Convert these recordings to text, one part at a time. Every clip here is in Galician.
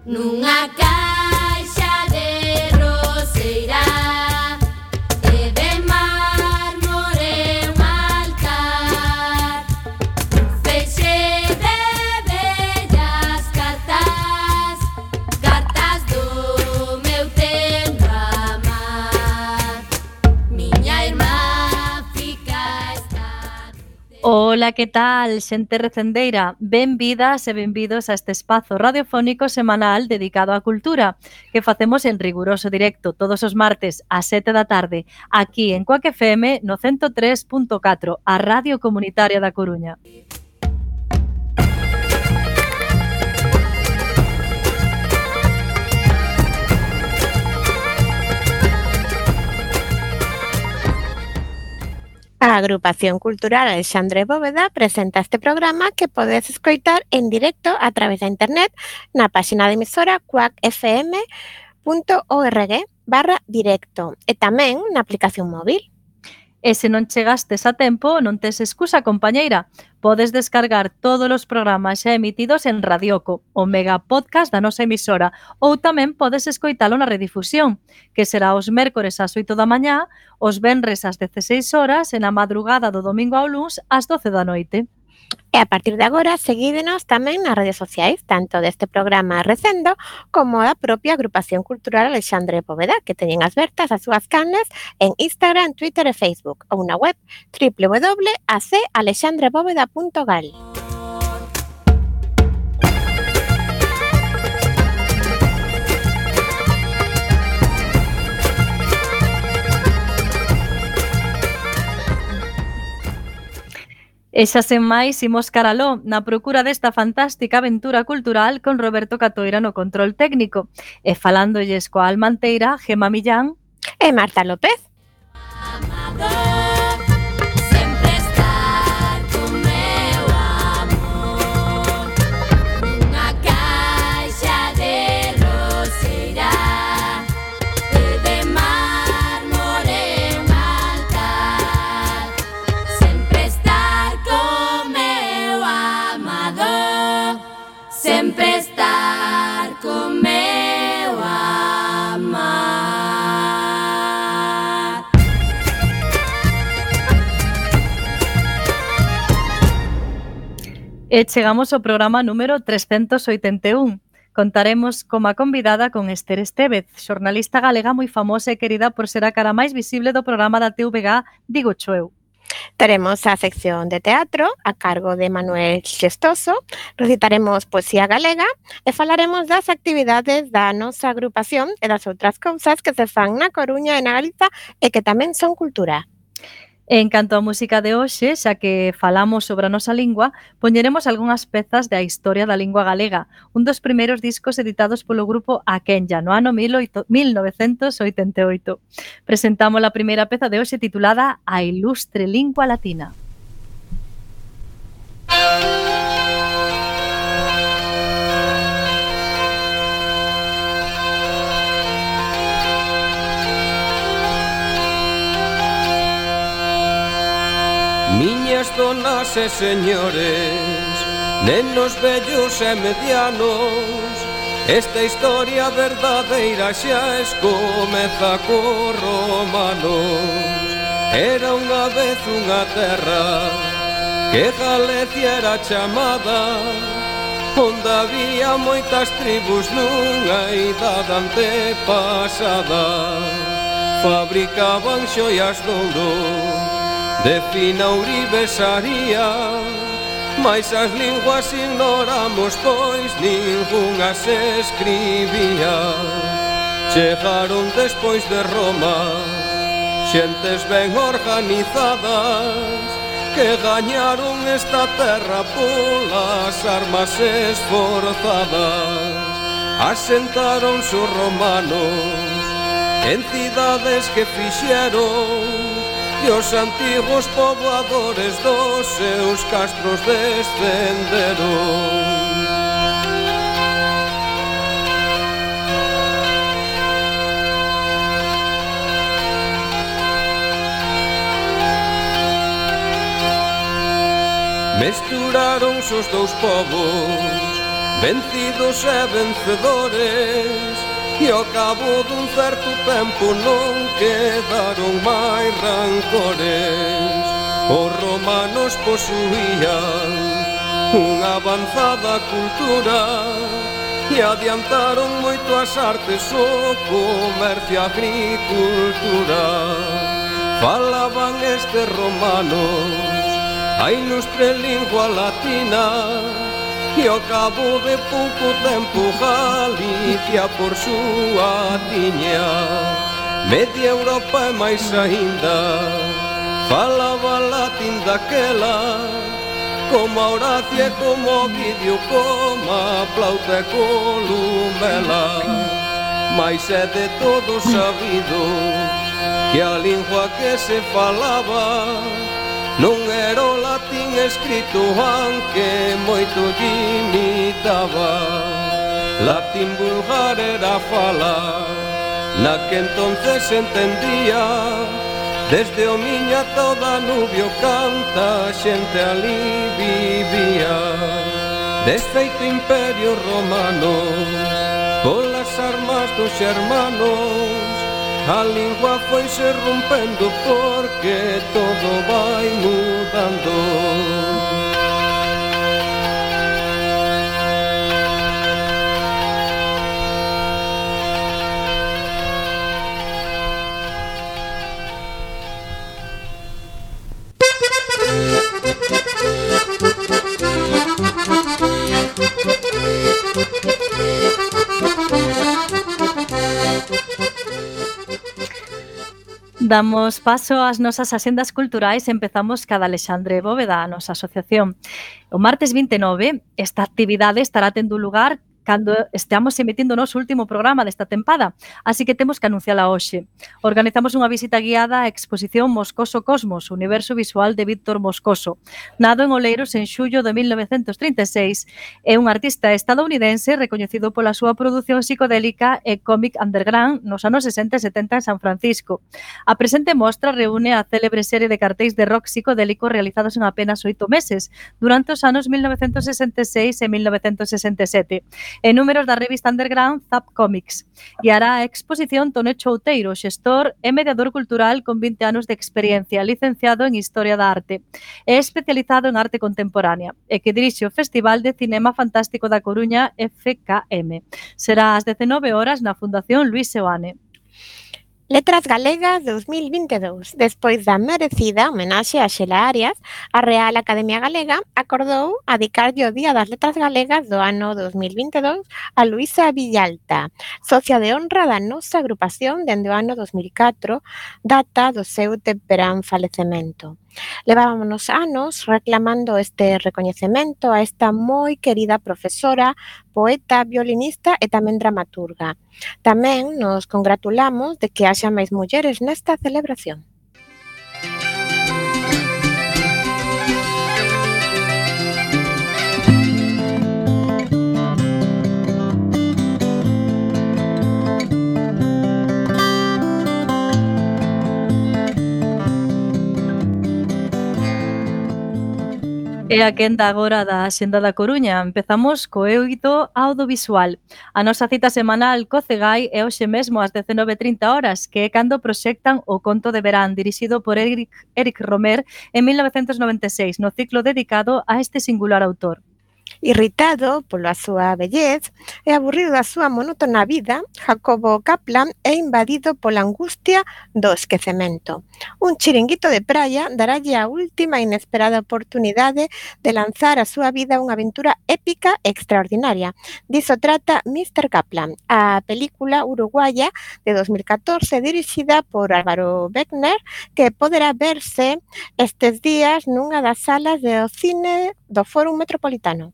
Nunha caixa de roseira e de mármore un altar, un feixe de bellas cartas, cartas do meu tempo amar. Miña irmá fica esta. Ola, que tal, xente recendeira? Benvidas e benvidos a este espazo radiofónico semanal dedicado á cultura que facemos en riguroso directo todos os martes ás 7 da tarde aquí en Coac FM no 103.4, a Radio Comunitaria da Coruña. A Agrupación Cultural Alexandre Bóveda presenta este programa que podes escoitar en directo a través da internet na páxina de emisora coacfm.org/directo e tamén na aplicación móvil. E se non chegastes a tempo, non tes excusa, compañeira. Podes descargar todos os programas xa emitidos en Radioco, o mega podcast da nosa emisora, ou tamén podes escoitalo na redifusión, que será os mércores ás 8 da mañá, os venres ás 16 horas e na madrugada do domingo ao luns ás 12 da noite. E a partir de agora, seguídenos tamén nas redes sociais, tanto deste programa Recendo como da propia Agrupación Cultural Alexandre Bóveda, que teñen abertas as súas canles en Instagram, Twitter e Facebook, ou na web www.acalexandrebóveda.gal. E xa sen máis, imos caraló na procura desta fantástica aventura cultural con Roberto Catoira no control técnico e falándolles coa almanteira Gemma Millán E Marta López. Amador, sempre estar con meu amor. Nunha caixa de roseira e de mármore un altar, sempre estar con meu amador, sempre estar con meu amar. e chegamos ao programa número 381. Contaremos como a convidada con Esther Estévez, xornalista galega moi famosa e querida por ser a cara máis visible do programa da TVG Digo Choeu. Teremos a sección de teatro a cargo de Manuel Xestoso, recitaremos poesía galega e falaremos das actividades da nosa agrupación e das outras cousas que se fan na Coruña e na Galiza e que tamén son cultura. En canto á música de hoxe, xa que falamos sobre a nosa lingua, poñeremos algunhas pezas da historia da lingua galega, un dos primeiros discos editados polo grupo Aquenya no ano 1988. Presentamos a primeira peza de hoxe titulada A ilustre lingua latina. Miñas donas e señores, nenos vellos e medianos, esta historia verdadeira xa escomeza cos romanos. Era unha vez unha terra que Galicia era chamada, onde había moitas tribus nunha idade antepasada. Fabricaban xoias de ouro, de fina ourivesaría, mais as linguas ignoramos, pois ningunha se escribía. Chegaron despois de Roma xentes ben organizadas que gañaron esta terra polas armas esforzadas. Asentaronse os romanos en cidades que fixeron e os antigos poboadores dos seus castros descenderon. Mesturaronse os dous povos vencidos e vencedores, e ao cabo dun certo tempo non quedaron máis rancores. Os romanos posuían unha avanzada cultura e adiantaron moito as artes, o comercio e a agricultura. Falaban estes romanos a ilustre lingua latina, e ao cabo de pouco tempo Galicia por súa tiña. Media Europa e máis aínda falaba latín daquela, como a Horacio e como Ovidio, como a Plauta e Columela. Mais é de todo sabido que a lingua que se falaba non era o latín escrito, aunque moito lle imitaba. Latín vulgar era fala na que entonces entendía, desde o Miño ata o Danubio canta xente ali vivía. Desfeito imperio romano polas armas dos xermanos, a lingua foise rompendo porque todo vai mudando. Damos paso ás nosas axendas culturais e empezamos cada Alexandre Bóveda, a nosa asociación. O martes 29, esta actividade estará tendo lugar cando esteamos emitindo o noso último programa desta tempada, así que temos que anunciala hoxe. Organizamos unha visita guiada á exposición Moscoso Cosmos, universo visual de Víctor Moscoso. Nado en Oleiros en xullo de 1936, é un artista estadounidense recoñecido pola súa produción psicodélica e cómic underground nos anos 60 e 70 en San Francisco. A presente mostra reúne a célebre serie de cartéis de rock psicodélico realizados en apenas 8 meses, durante os anos 1966 e 1967, e números da revista underground Zap Comics. Guiará a exposición Tone Chouteiro, xestor e mediador cultural con 20 anos de experiencia, licenciado en Historia da Arte e especializado en arte contemporánea, e que dirixe o Festival de Cinema Fantástico da Coruña FKM. Será ás 19 horas na Fundación Luis Seoane. Letras Galegas 2022. Despois da merecida homenaxe a Xela Arias, a Real Academia Galega acordou adicarlle o Día das Letras Galegas do ano 2022 a Luisa Villalta, socia de honra da nosa agrupación dende o ano 2004, data do seu temperán falecemento. Levámonos anos reclamando este recoñecemento a esta moi querida profesora, poeta, violinista e tamén dramaturga. Tamén nos congratulamos de que haxa máis mulleres nesta celebración. E a quenda agora da Xenda da Coruña. Empezamos co eido audiovisual. A nosa cita semanal co Cegai é hoxe mesmo ás 19:30 horas, que é cando proxectan O conto de verán, dirixido por Éric Romer en 1996, no ciclo dedicado a este singular autor. Irritado pola súa vellez e aburrido da súa monótona vida, Jacobo Kaplan é invadido pola angustia do esquecemento. Un chiringuito de praia darálle a última inesperada oportunidade de lanzar a súa vida a unha aventura épica e extraordinaria. Diso trata Mr. Kaplan, a película uruguaya de 2014 dirixida por Álvaro Beckner, que poderá verse estes días nunha das salas do cine do Fórum Metropolitano.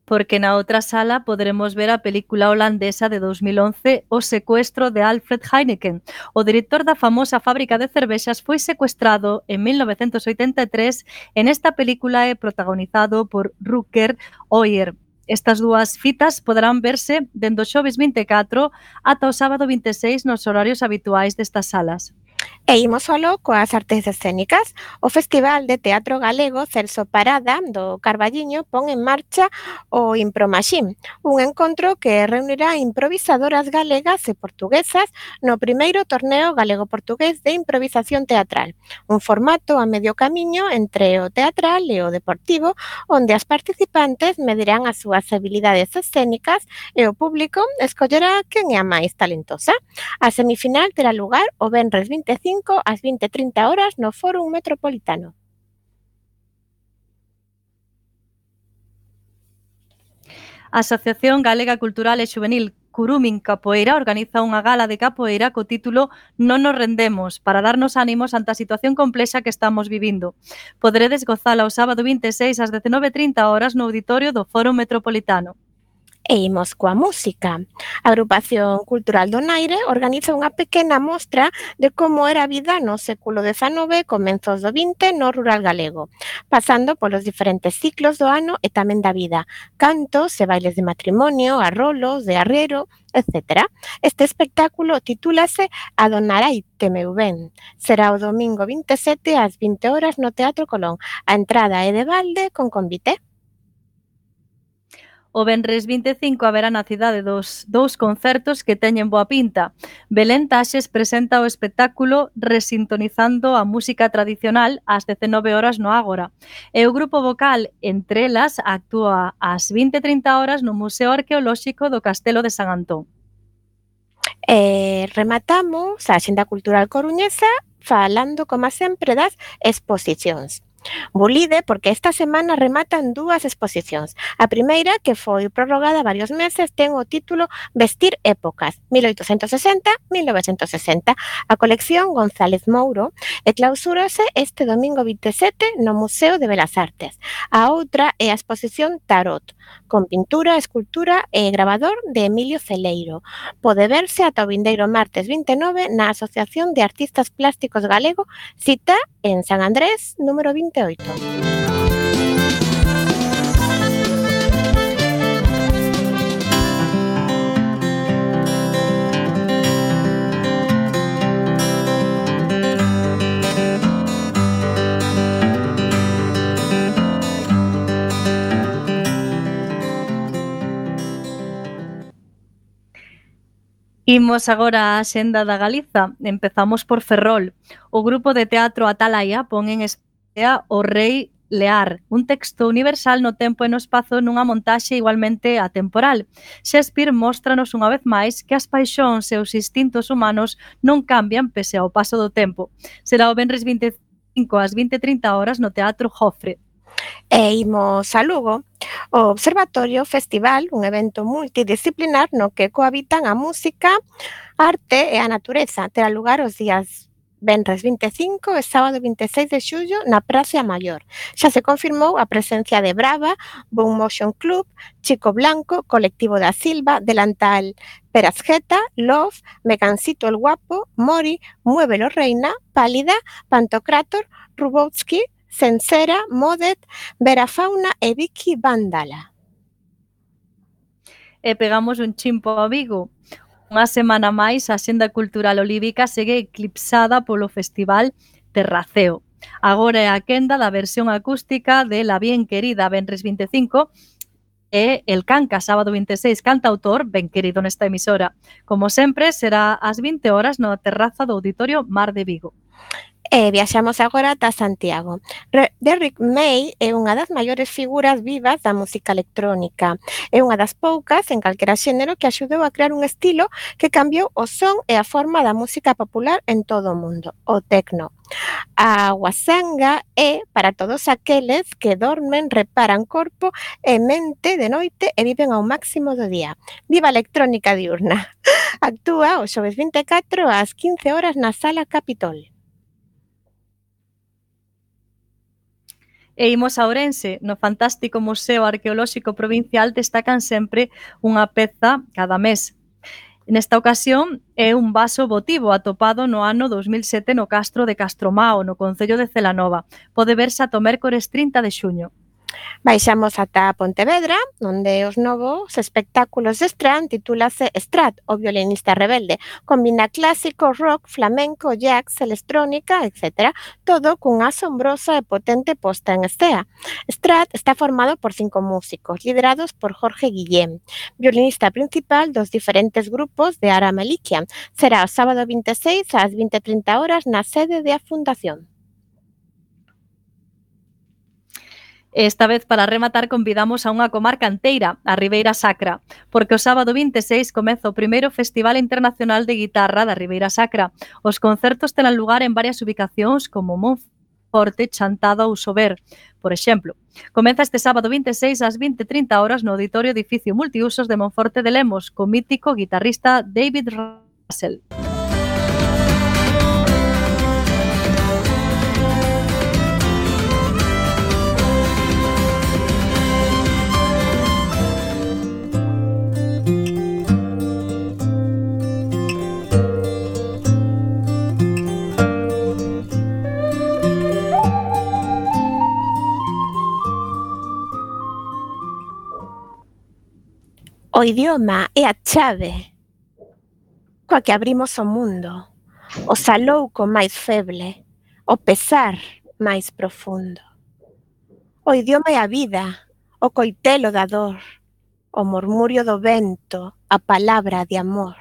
Porque na outra sala poderemos ver a película holandesa de 2011 O secuestro de Alfred Heineken. O director da famosa fábrica de cervexas foi secuestrado en 1983 e nesta película é protagonizado por Rutger Hauer. Estas dúas fitas poderán verse dende o xoves 24 ata o sábado 26 nos horarios habituais destas salas. E imos aló coas artes escénicas. O Festival de Teatro Galego Celso Parada do Carballiño pon en marcha o Impromaxín, un encontro que reunirá improvisadoras galegas e portuguesas no primeiro torneo galego-portugués de improvisación teatral, un formato a medio camiño entre o teatral e o deportivo, onde as participantes medirán as súas habilidades escénicas e o público escollerá quen é a máis talentosa. A semifinal terá lugar o venres 25 ás 20:30 horas no Fórum Metropolitano. A Asociación Galega Cultural e Xuvenil Curumin Capoeira organiza unha gala de capoeira co título Non nos rendemos, para darnos ánimos ante a situación complexa que estamos vivindo. Poderedes gozala o sábado 26 ás 19:30 horas no auditorio do Fórum Metropolitano. E imos coa música. A Agrupación Cultural do Naire organiza unha pequena mostra de como era a vida no século XIX e comenzos do XX no rural galego, pasando polos diferentes ciclos do ano e tamén da vida, cantos e bailes de matrimonio, arrolos, de arriero, etc. Este espectáculo titúlase Adonaraite meu ben. Será o domingo 27 ás 20 horas no Teatro Colón. A entrada é de balde con convite. O venres 25 haberá na cidade dous concertos que teñen boa pinta. Belén Taxes presenta o espectáculo Resintonizando a música tradicional ás 19 horas no Ágora. E o grupo vocal Entre Elas actúa ás 20:30 horas no Museo Arqueolóxico do Castelo de San Antón. Rematamos a Axenda Cultural Coruñesa falando, como sempre, das exposicións. Bulide, porque esta semana rematan dúas exposicións. A primeira, que foi prorrogada varios meses, ten o título Vestir épocas, 1860-1960. A colección González Mouro e clausúrase este domingo 27 no Museo de Belas Artes. A outra é a exposición Tarot, con pintura, escultura e gravador de Emilio Celeiro. Pode verse ata o vindeiro martes 29 na Asociación de Artistas Plásticos Galego, cita en San Andrés, número 28. Imos agora á Axenda da Galiza. Empezamos por Ferrol. O grupo de teatro Atalaya pon en escena O Rei Lear, un texto universal no tempo e no espazo nunha montaxe igualmente atemporal. Shakespeare móstranos unha vez máis que as paixóns e os instintos humanos non cambian pese ao paso do tempo. Será o venres 25 ás 20:30 horas no Teatro Jofre. E imos a Lugo. O Observatorio Festival, un evento multidisciplinar no que cohabitan a música, a arte e a natureza, terá lugar os días venres 25 e sábado 26 de xullo na Praza Maior. Xa se confirmou a presencia de Brava, Boom Motion Club, Chico Blanco, Colectivo da Silva, Delantal Perazgeta, Love, Mecancito el Guapo, Mori, Muévelo Reina, Pálida, Pantocrator, Rubotsky, Sensera, Modet, Vera Fauna e Vicky Vándala. E pegamos un chimpo a Vigo. Unha semana máis, a Axenda Cultural Olívica segue eclipsada polo Festival Terraceo. Agora é a quenda da versión acústica de La Bien Querida, venres 25, e El Canca, sábado 26, cantautor, ben querido nesta emisora. Como sempre, será ás 20 horas na terraza do Auditorio Mar de Vigo. E viaxamos agora ata Santiago. Derrick May é unha das maiores figuras vivas da música electrónica. É unha das poucas en calquera xénero que axudou a crear un estilo que cambiou o son e a forma da música popular en todo o mundo, o tecno. A wasanga é para todos aqueles que dormen, reparan corpo e mente de noite e viven ao máximo do día. Viva a electrónica diurna! Actúa o xoves 24 ás 15 horas na Sala Capitol. E imos a Ourense. No fantástico Museo Arqueolóxico Provincial destacan sempre unha peza cada mes. Nesta ocasión é un vaso votivo atopado no ano 2007 no castro de Castromao, no concello de Celanova. Pode verse ata o mércores 30 de xuño. Baixamos ata Pontevedra, onde os novos espectáculos de Strat titúlase Strat, o violinista rebelde. Combina clásico, rock, flamenco, jazz, electrónica, etc. Todo cunha asombrosa e potente posta en escena. Strat está formado por 5 músicos, liderados por Jorge Guillén, violinista principal dos diferentes grupos de Ara Malikian. Será o sábado 26 ás 20:30 horas na sede da Fundación. Esta vez, para rematar, convidamos a unha comarca enteira, a Ribeira Sacra, porque o sábado 26 comeza o primeiro Festival Internacional de Guitarra da Ribeira Sacra. Os concertos terán lugar en varias ubicacións como Monforte, Chantada ou Sober. Por exemplo, comeza este sábado 26 ás 20:30 horas no Auditorio Edificio Multiusos de Monforte de Lemos, co mítico guitarrista David Russell. O idioma é a chave coa que abrimos o mundo, o salouco máis feble, o pesar máis profundo. O idioma é a vida, o coitelo da dor, o murmurio do vento, a palabra de amor.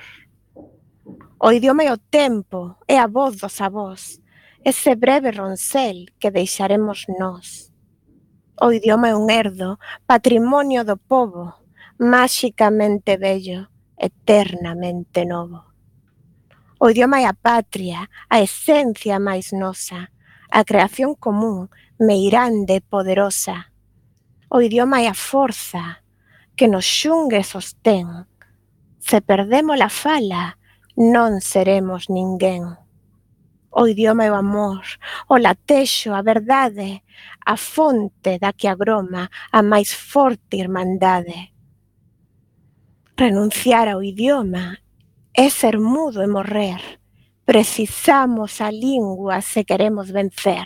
O idioma é o tempo, é a voz dos avós, ese breve roncel que deixaremos nós. O idioma é un herdo, patrimonio do pobo, máxicamente bello, eternamente novo. O idioma é a patria, a esencia máis nosa, a creación común, meirande e poderosa. O idioma é a forza que nos xungue sostén. Se perdemos a fala, non seremos ninguén. O idioma é o amor, o latexo, a verdade, a fonte da que agroma a máis forte irmandade. Renunciar ao idioma é ser mudo e morrer. Precisamos a lingua se queremos vencer.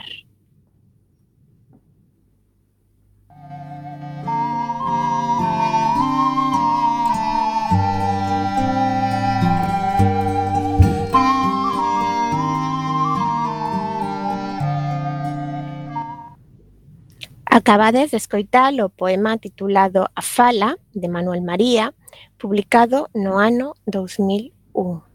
Acabades de escoitar o poema titulado A Fala, de Manuel María, publicado no ano 2001.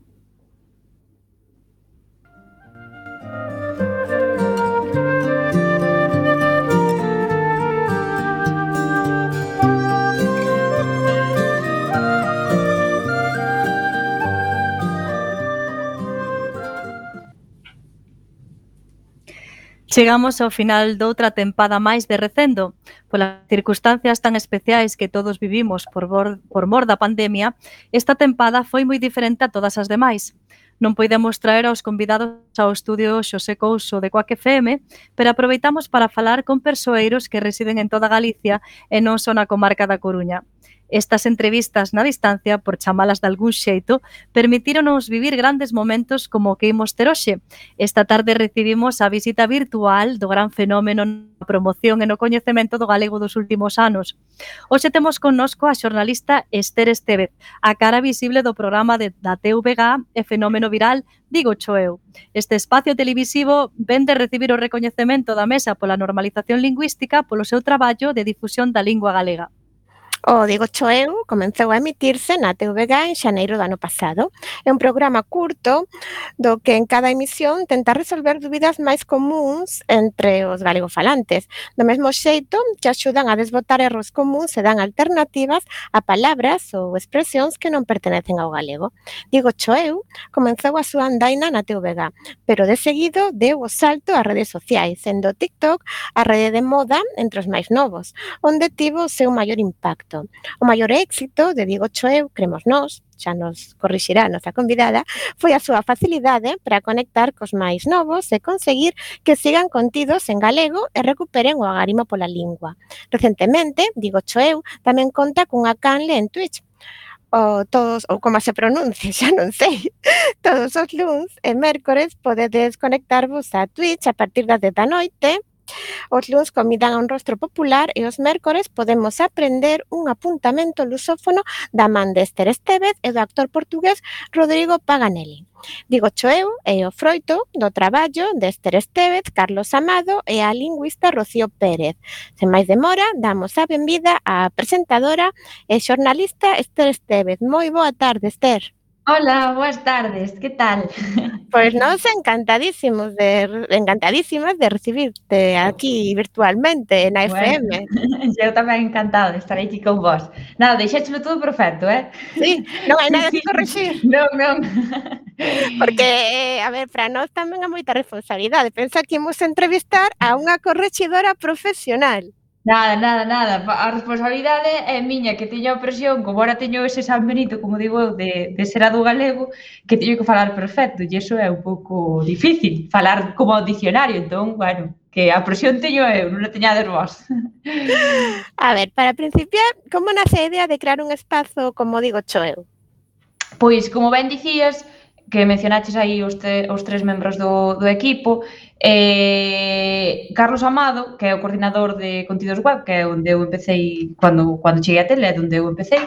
Chegamos ao final doutra tempada máis de Recendo. Polas circunstancias tan especiais que todos vivimos por mor da pandemia, esta tempada foi moi diferente a todas as demais. Non poidemos traer aos convidados ao estudio Xosé Couso de Coac FM, pero aproveitamos para falar con persoeiros que residen en toda Galicia e non só na comarca da Coruña. Estas entrevistas na distancia, por chamalas de algún xeito, permitíronos vivir grandes momentos como o que imos ter hoxe. Esta tarde recibimos a visita virtual do gran fenómeno na promoción e no coñecemento do galego dos últimos anos. Hoxe temos connosco a xornalista Ester Estévez, a cara visible do programa da TVG e fenómeno viral Digo Cho Eu. Este espacio televisivo ven de recibir o recoñecemento da Mesa pola Normalización Lingüística polo seu traballo de difusión da lingua galega. O Digo Cho Eu comezou a emitirse na TVG en xaneiro do ano pasado. É un programa curto do que en cada emisión tenta resolver dúbidas máis comúns entre os galegofalantes, do mesmo xeito que axudan a desbotar erros comúns e dan alternativas a palabras ou expresións que non pertenecen ao galego. Digo Cho Eu comezou a súa andaina na TVG, pero de seguido deu o salto ás redes sociais, sendo TikTok a rede de moda entre os máis novos, onde tivo o seu maior impacto. O maior éxito de Digo Cho Eu, cremos nós, xa nos corrixirá a nosa convidada, foi a súa facilidade para conectar cos máis novos e conseguir que sigan contidos en galego e recuperen o agarimo pola lingua. Recentemente, Digo Cho Eu tamén conta cunha canle en Twitch, ou como se pronuncie, xa non sei. Todos os luns e mércores podedes conectarvos a Twitch a partir das 10 da noite Os luns convidan a un rostro popular e os mércores podemos aprender un apuntamento lusófono da man de Esther Estévez e do actor portugués Rodrigo Paganelli. Digo eu e o froito do traballo de Esther Estévez, Carlos Amado e a lingüista Rocío Pérez. Sen máis demora, damos a benvida á presentadora e xornalista Esther Estévez. Moi boa tarde, Esther. Hola, boas tardes, que tal? Pois nós encantadísimas de recibirte aquí virtualmente na FM. Eu tamén encantada de estar aquí con vos. Nada, deixéchelo todo perfecto, Sí, non hai nada que corrixir. Non. Porque, a ver, para nós tamén é moita responsabilidade. Pensa que imos entrevistar a unha correxidora profesional. Nada. A responsabilidade é miña, que teño a presión, como ahora teño ese San Benito, como digo eu, de ser a do galego, que teño que falar perfecto, e iso é un pouco difícil, falar como ao dicionario, entón, bueno, que a presión teño eu, non a teñades vos. A ver, para principiar, como nace a idea de crear un espazo, como digo eu? Pois, como ben dicías, que mencionaches aí os tres membros do equipo, Carlos Amado, que é o coordinador de contidos web, que é onde eu empecé cando cheguei á tele, é onde eu empecé,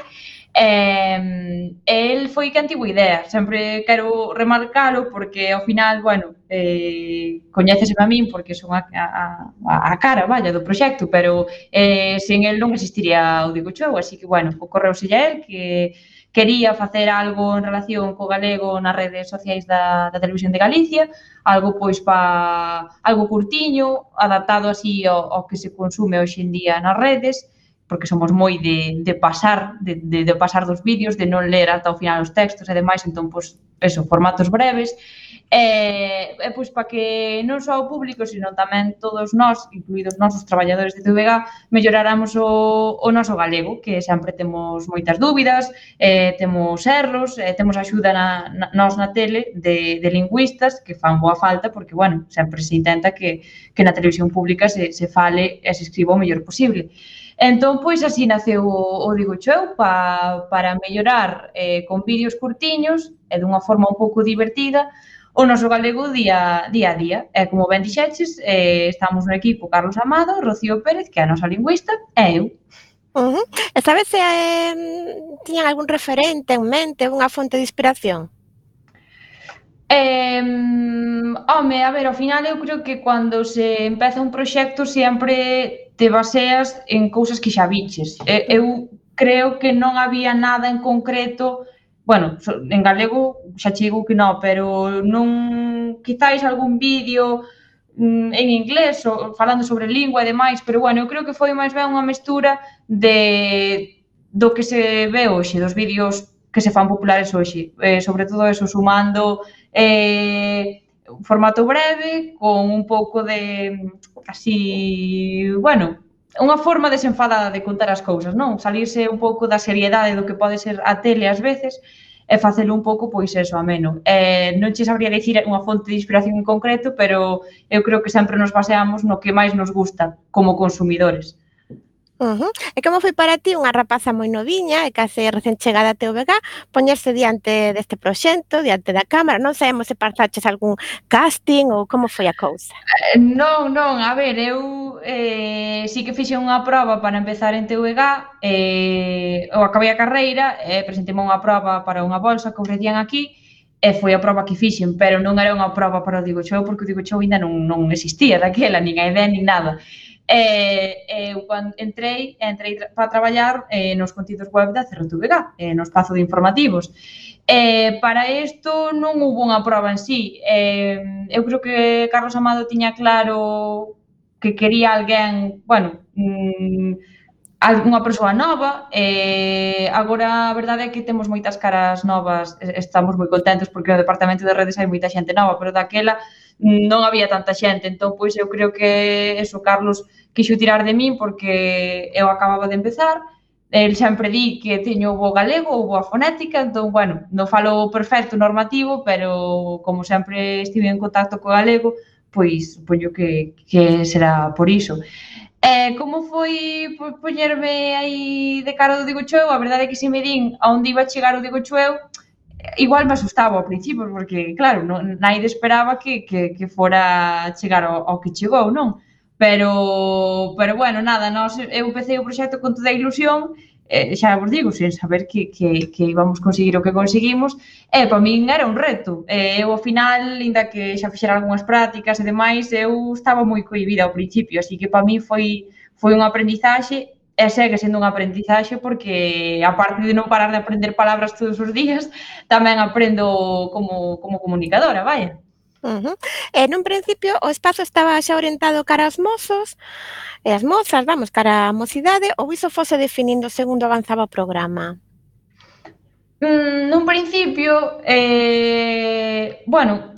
el foi quen tivo idea. Sempre quero remarcalo porque ao final, bueno, coñéceseme a min porque son a cara, vaya, do proxecto, pero sen el non existiría o Digo Chou, así que, bueno, ocorreuselle a el que quería facer algo en relación co galego nas redes sociais da Televisión de Galicia, algo pois algo curtiño, adaptado así ao que se consume hoxe en día nas redes, porque somos moi de pasar dos vídeos, de non ler ata o final os textos e demais, entón, pois, eso, formatos breves, pois para que non só o público, sino tamén todos nós, incluídos nós, os traballadores de TVG, melloráramos o noso galego, que sempre temos moitas dúbidas, temos erros, temos axuda nós na tele de lingüistas que fan boa falta, porque, bueno, sempre se intenta que na televisión pública se fale e se escriba o mellor posible. Entón, pois, así naceu o Digo Chou para mellorar con vídeos curtiños e dunha forma un pouco divertida o noso galego día a día. E, como ben dixeches, estamos no equipo Carlos Amado, Rocío Pérez, que é a nosa lingüista, e eu. E sabes se tiñan algún referente en mente, unha fonte de inspiración? Home, a ver, ao final eu creo que cando se empeza un proxecto sempre te baseas en cousas que xa viches. Eu creo que non había nada en concreto. Bueno, en galego xa che digo que non, pero non, quizáis algún vídeo en inglés, falando sobre lingua e demais, pero, bueno, eu creo que foi máis ben unha mestura do que se ve hoxe, dos vídeos que se fan populares hoxe, sobre todo eso, sumando un formato breve, con un pouco de, así, bueno, unha forma desenfadada de contar as cousas, non? Salirse un pouco da seriedade do que pode ser a tele ás veces e facelo un pouco, pois, eso, ameno. Non che sabría dicir unha fonte de inspiración en concreto, pero eu creo que sempre nos baseamos no que máis nos gusta como consumidores. E como foi para ti, unha rapaza moi noviña e case recén chegada a TVG, poñerse diante deste proxecto, diante da cámara? Non sabemos se pasaches algún casting ou como foi a cousa? Non, a ver, eu sí que fixe unha proba para empezar en TVG, eu acabei a carreira e presentei unha proba para unha bolsa que ofrecían aquí e foi a proba que fixen, pero non era unha proba para o Digo Chou, porque o Digo Chou ainda non existía daquela, nin a idea, nin nada. Eu cando entrei para traballar nos contidos web da CRTVG, no espazo de informativos. Para isto non hubo unha proba en sí. Eu creo que Carlos Amado tiña claro que quería alguén, bueno, unha persoa nova. Agora a verdade é que temos moitas caras novas, estamos moi contentos porque no departamento de redes hai moita xente nova, pero daquela non había tanta xente, entón, pois, eu creo que eso, Carlos quixo tirar de min porque eu acababa de empezar, el sempre di que teño bo galego ou boa fonética, entón, bueno, non falo perfecto normativo, pero como sempre estive en contacto co galego, pois, poño que será por iso. Como foi poñerme aí de cara do Digo Chou? A verdade é que se me din a onde iba a chegar o Digo Chou, igual me asustaba ao principio, porque, claro, naide esperaba que fora chegar ao que chegou, non? Pero bueno, nada, eu empecé o proxecto con toda a ilusión, xa vos digo, sen saber que íbamos conseguir o que conseguimos, e para min era un reto. Eu, ao final, ainda que xa fixera algunhas prácticas e demais, eu estaba moi cohibida ao principio, así que para min foi un aprendizaxe, e segue sendo un aprendizaxe porque, aparte de non parar de aprender palabras todos os días, tamén aprendo como comunicadora, vaya. Nun principio o espazo estaba xa orientado cara aos mozos e as mozas, vamos, cara á mocidade, ou iso fose definindo segundo avanzaba o programa? Nun principio, bueno,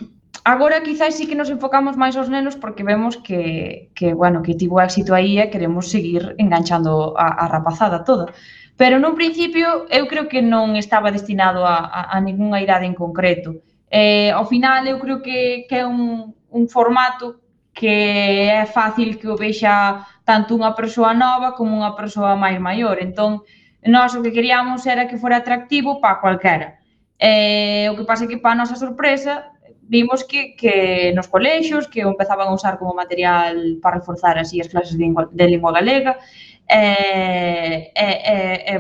agora quizás sí que nos enfocamos máis aos nenos porque vemos que tivo éxito aí e queremos seguir enganchando a rapazada toda. Pero nun principio eu creo que non estaba destinado a ningunha idade en concreto. Ao final eu creo que é un formato que é fácil que o vexa tanto unha persoa nova como unha persoa máis maior. Entón, nós o que queríamos era que fora atractivo para cualquera. O que pasa é que, para a nosa sorpresa, vimos que nos colexios que o empezaban a usar como material para reforzar así as clases de lingua galega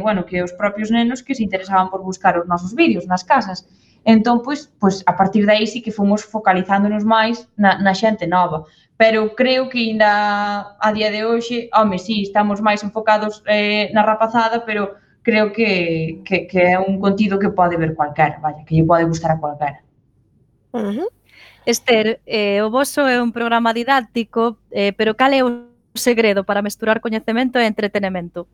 bueno, que os propios nenos que se interesaban por buscar os nosos vídeos nas casas. Entón, pois a partir de aí sí que fomos focalizándonos máis na xente nova. Pero creo que ainda a día de hoxe, sí, estamos máis enfocados na rapazada, pero creo que é un contido que pode ver cualquera, vaya, que lle pode gustar a cualquera. Esther, o voso é un programa didáctico, pero cal é o segredo para mesturar coñecemento e entretenemento?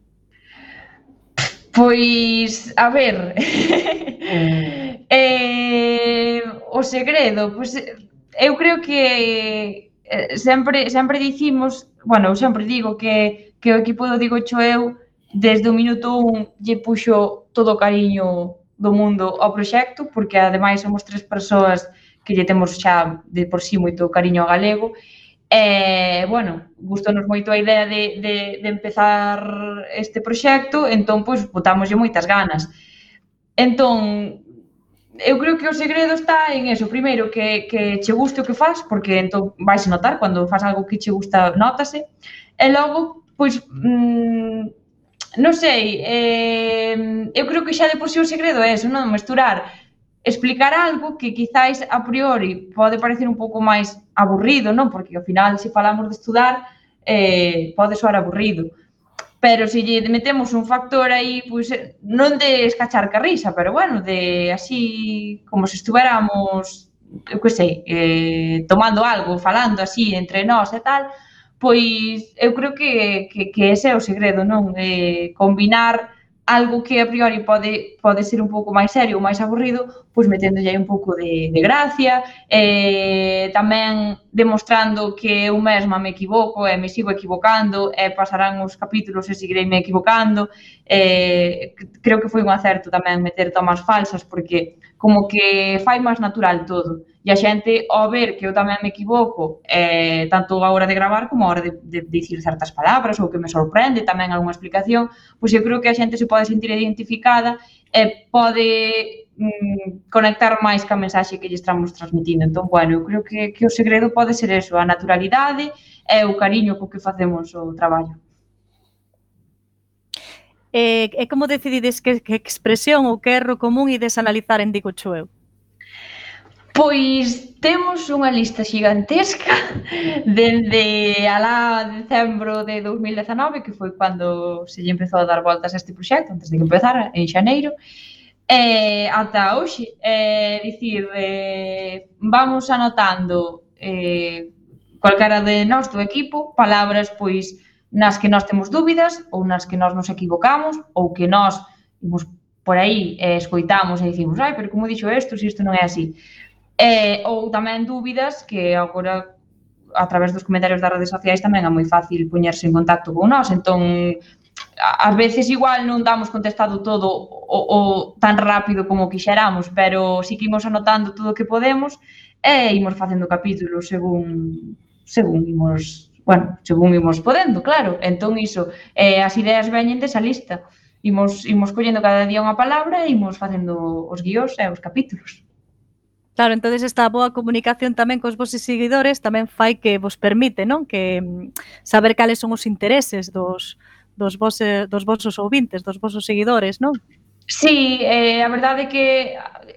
Pois, a ver, o segredo, pois eu creo que sempre dicimos, bueno, eu sempre digo que o equipo do Digocho eu, desde o minuto 1, lle puxo todo o cariño do mundo ao proxecto, porque ademais somos 3 persoas que lle temos xa de por sí moito cariño ao galego. Bueno, gustou-nos moito a idea de empezar este proxecto, entón, pois, botámoslle moitas ganas. Entón, eu creo que o segredo está en eso, primeiro, que che guste o que faz, porque entón vais a notar, cando faz algo que che gusta, nótase, e logo, pois, non sei, eu creo que xa de por sí o segredo é eso, non? Mesturar, explicar algo que quizáis a priori pode parecer un pouco máis aburrido, non? Porque ao final, se falamos de estudar, pode soar aburrido. Pero se lle metemos un factor aí, pois, non de escachar ca risa, pero bueno, de así, como se estuveramos, eu que sei, tomando algo, falando así entre nós e tal, pois eu creo que ese é o segredo, non? Combinar algo que a priori pode ser un pouco máis serio ou máis aburrido, pois meténdolle aí un pouco de gracia, tamén demostrando que eu mesma me equivoco e me sigo equivocando e pasarán os capítulos e seguirei me equivocando. Creo que foi un acerto tamén meter tomas falsas, porque como que fai máis natural todo. E a xente, ao ver que eu tamén me equivoco, tanto a hora de gravar como a hora de dicir certas palabras ou que me sorprende tamén algunha explicación, pois eu creo que a xente se pode sentir identificada e pode conectar máis ca mensaxe que lle estamos transmitindo. Entón, bueno, eu creo que o segredo pode ser eso, a naturalidade e o cariño co que facemos o traballo. E como decidides que expresión ou que erro común ides analizar en Digocho eu? Pois temos unha lista xigantesca dende alá decembro de 2019, que foi cando se lle empezou a dar voltas a este proxecto, antes de que empezara, en xaneiro, ata hoxe. Dicir, vamos anotando calquera de nós do equipo palabras pois nas que nós temos dúbidas ou nas que nós nos equivocamos ou que nós imos por aí escoitamos e dicimos pero como dixo isto, se isto non é así. Ou tamén dúbidas que agora a través dos comentarios das redes sociais tamén é moi fácil poñerse en contacto con nós, entón ás veces igual non damos contestado todo o tan rápido como quixeramos, pero si que imos anotando todo o que podemos e imos facendo capítulos según imos, bueno, según imos podendo, claro. Entón iso, as ideas veñen desa lista, imos collendo cada día unha palabra e imos facendo os guións e os capítulos. Claro, entonces esta boa comunicación tamén cos vosos seguidores tamén fai que vos permite, non? Que saber cales son os intereses dos vosos ouvintes, dos vosos seguidores, non? Sí, a verdade é que,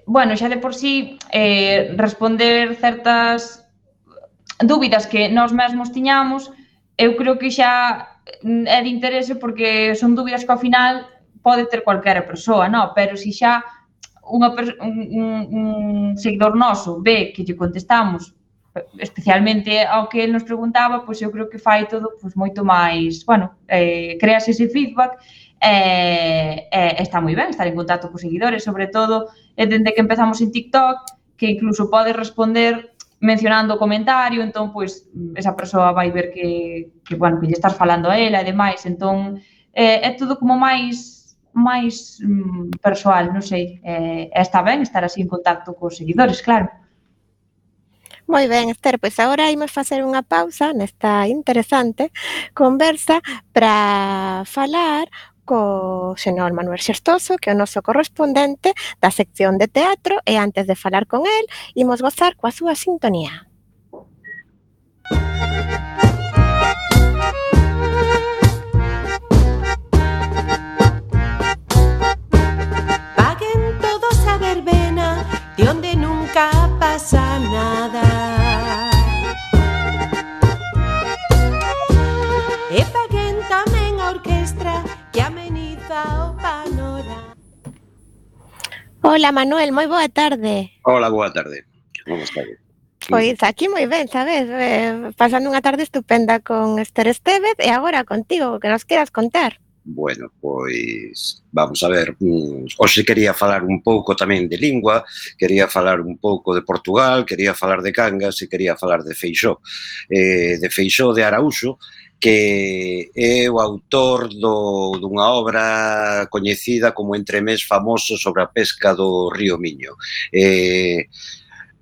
bueno, xa de por sí, responder certas dúbidas que nós mesmos tiñamos, eu creo que xa é de interese porque son dúbidas que ao final pode ter cualquera persoa, non? Pero se xa un seguidor noso ve que lle contestamos especialmente ao que ele nos preguntaba, pois eu creo que fai todo pois moito máis, bueno, creas ese feedback está moi ben estar en contacto cos seguidores, sobre todo dende que empezamos en TikTok, que incluso pode responder mencionando o comentario, entón, pois, esa persoa vai ver que bueno, que lle estás falando a ela e demais, entón, é todo como máis persoal, non sei, está ben estar así en contacto cos seguidores, claro. Moi ben, Esther, pois agora imos facer unha pausa nesta interesante conversa para falar co señor Manuel Xestoso, que é o noso correspondente da sección de teatro, e antes de falar con el, imos gozar coa súa sintonía. Paguen todos a verbena, de onde nunca pasa nada. E paguen tamén a orquestra que ameniza o panorama. Hola, Manuel, moi boa tarde. Hola, boa tarde. Como está? Pois aquí moi ben, sabes? Pasando unha tarde estupenda con Esther Estévez e agora contigo, que nos queras contar. Bueno, pois vamos a ver, hoxe quería falar un pouco tamén de lingua, quería falar un pouco de Portugal, quería falar de Cangas e quería falar de Feixóo de Araúxo, que é o autor dunha obra coñecida como Entremés famoso sobre a pesca do río Miño.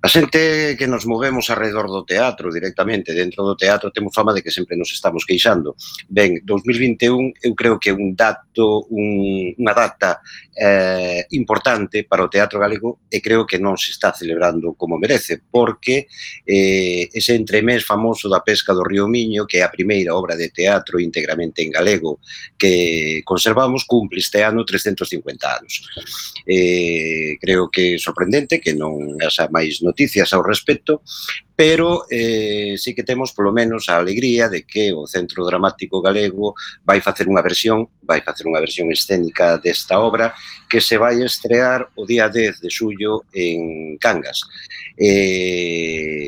A xente que nos movemos alrededor do teatro, directamente dentro do teatro, temos fama de que sempre nos estamos queixando. Ben, 2021 eu creo que é unha data importante para o teatro galego e creo que non se está celebrando como merece, porque ese entremés famoso da pesca do río Miño, que é a primeira obra de teatro íntegramente en galego que conservamos, cumple este ano 350 anos. Creo que é sorprendente que non haxa máis noticias ao respecto, pero sí que temos polo menos a alegría de que o Centro Dramático Galego vai facer unha versión escénica desta obra que se vai estrear o día 10 de xullo en Cangas,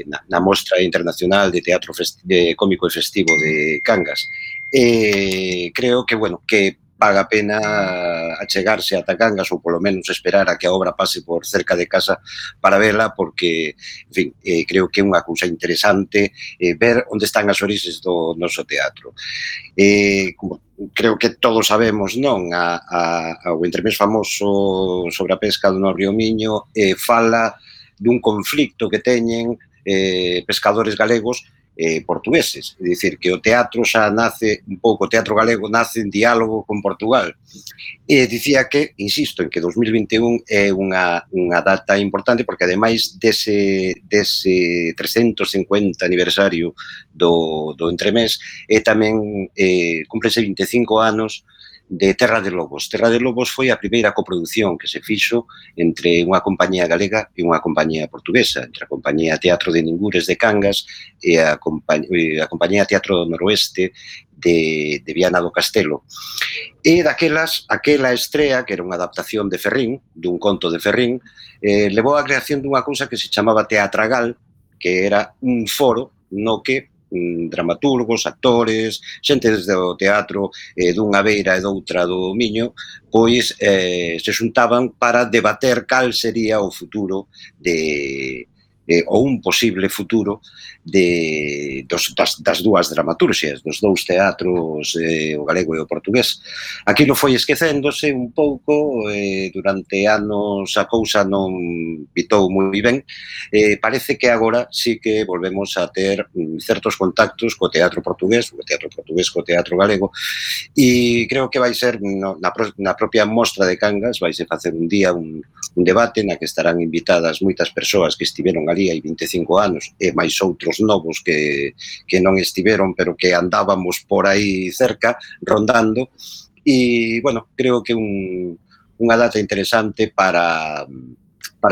na Mostra Internacional de Teatro Cómico e Festivo de Cangas. Creo que, bueno, que paga a pena achegarse ata Cangas ou polo menos esperar a que a obra pase por cerca de casa para vela, porque, en fin, creo que é unha cousa interesante ver onde están as orixes do noso teatro. Como creo que todos sabemos, non? O entremés famoso sobre a pesca do río Miño fala dun conflicto que teñen pescadores galegos portugueses, é dicir, que o teatro xa nace un pouco, o teatro galego nace en diálogo con Portugal. E dicía que, insisto, en que 2021 é unha data importante porque ademais dese 350 aniversario do entremés tamén cúmplese 25 anos de Terra de Lobos. Terra de Lobos foi a primeira coproducción que se fixo entre unha compañía galega e unha compañía portuguesa, entre a compañía Teatro de Ningures de Cangas e a compañía Teatro do Noroeste de Viana do Castelo. E aquela estrea, que era unha adaptación de Ferrín, dun conto de Ferrín, levou a creación dunha cousa que se chamaba Teatragal, que era un foro no que dramaturgos, actores, xente desde o teatro dunha beira e doutra do Miño, pois se xuntaban para debater cal sería o futuro ou un posible futuro das dúas dramaturxias, dos dous teatros, o galego e o portugués. Aquilo foi esquecéndose un pouco, durante anos a cousa non pitou moi ben, parece que agora sí que volvemos a ter certos contactos co teatro portugués co teatro galego, e creo que vai ser na propia mostra de Cangas, vai se facer un día un debate na que estarán invitadas moitas persoas que estiveron ali hai 25 anos e máis outros novos que non estiveron, pero que andábamos por aí cerca, rondando, e, bueno, creo que unha data interesante para